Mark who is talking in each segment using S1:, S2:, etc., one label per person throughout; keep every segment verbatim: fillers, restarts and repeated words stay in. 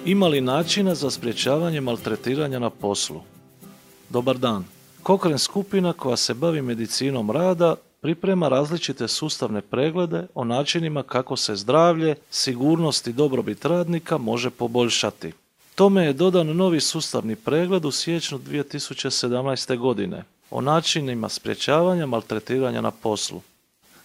S1: Ima li načina za sprječavanje maltretiranja na poslu? Dobar dan. Cochrane skupina koja se bavi medicinom rada priprema različite sustavne preglede o načinima kako se zdravlje, sigurnost i dobrobit radnika može poboljšati. Tome je dodan novi sustavni pregled u siječnju dvije tisuće sedamnaeste. godine o načinima sprječavanja maltretiranja na poslu.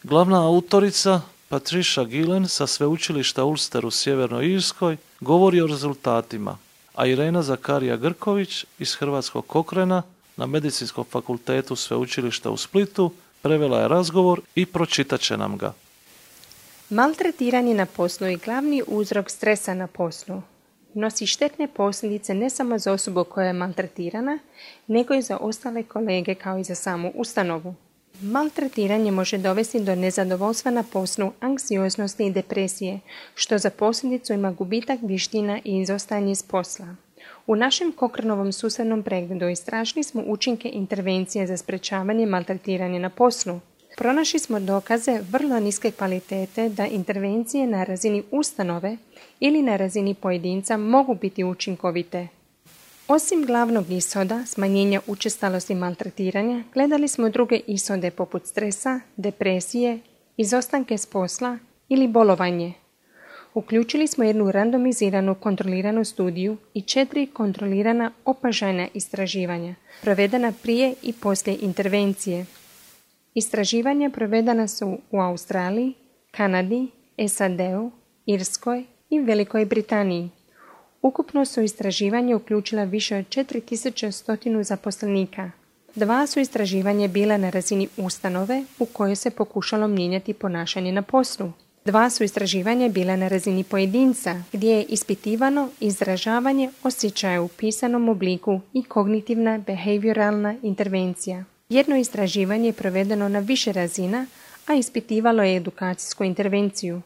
S1: Glavna autorica Patricia Gillen sa sveučilišta Ulster u Sjevernoj Irskoj govori o rezultatima, a Irena Zakarija Grković iz Hrvatskog Cochrana na Medicinskom fakultetu sveučilišta u Splitu prevela je razgovor i pročitat će nam ga.
S2: Maltretiranje na poslu je glavni uzrok stresa na poslu. Nosi štetne posljedice ne samo za osobu koja je maltretirana, nego i za ostale kolege kao i za samu ustanovu. Maltretiranje može dovesti do nezadovoljstva na poslu, anksioznosti i depresije, što za posljedicu ima gubitak vještina i izostajanje s posla. U našem Cochranovom sustavnom pregledu istražili smo učinke intervencije za sprječavanje maltretiranja na poslu. Pronašli smo dokaze vrlo niske kvalitete da intervencije na razini ustanove ili na razini pojedinca mogu biti učinkovite. Osim glavnog ishoda, smanjenja učestalosti maltretiranja, gledali smo druge ishode poput stresa, depresije, izostanke s posla ili bolovanje. Uključili smo jednu randomiziranu kontroliranu studiju i četiri kontrolirana opažajna istraživanja, provedena prije i poslije intervencije. Istraživanja provedena su u Australiji, Kanadi, S A D-u, Irskoj i Velikoj Britaniji. Ukupno su istraživanje uključila više od četiri tisuće sto zaposlenika. Dva su istraživanja bila na razini ustanove u kojoj se pokušalo mijenjati ponašanje na poslu. Dva su istraživanja bila na razini pojedinca, gdje je ispitivano izražavanje osjećaja u pisanom obliku i kognitivna behavioralna intervencija. Jedno istraživanje je provedeno na više razina, a ispitivalo je edukacijsku intervenciju.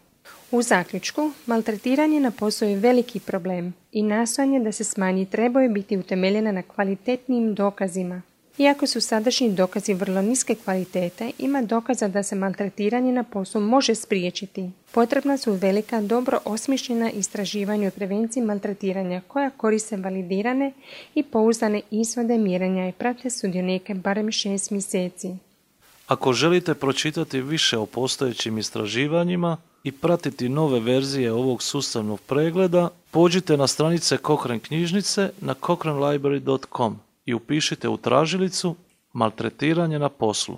S2: U zaključku, maltretiranje na poslu je veliki problem i nastojanje da se smanji trebaju biti utemeljena na kvalitetnim dokazima. Iako su sadašnji dokazi vrlo niske kvalitete, ima dokaza da se maltretiranje na poslu može spriječiti. Potrebna su velika, dobro osmišljena istraživanja o prevenciji maltretiranja koja koriste validirane i pouzdane ishode mjerenja i prate sudionike barem šest mjeseci.
S1: Ako želite pročitati više o postojećim istraživanjima i pratiti nove verzije ovog sustavnog pregleda, pođite na stranice Cochrane knjižnice na cochrane library dot com i upišite u tražilicu maltretiranje na poslu.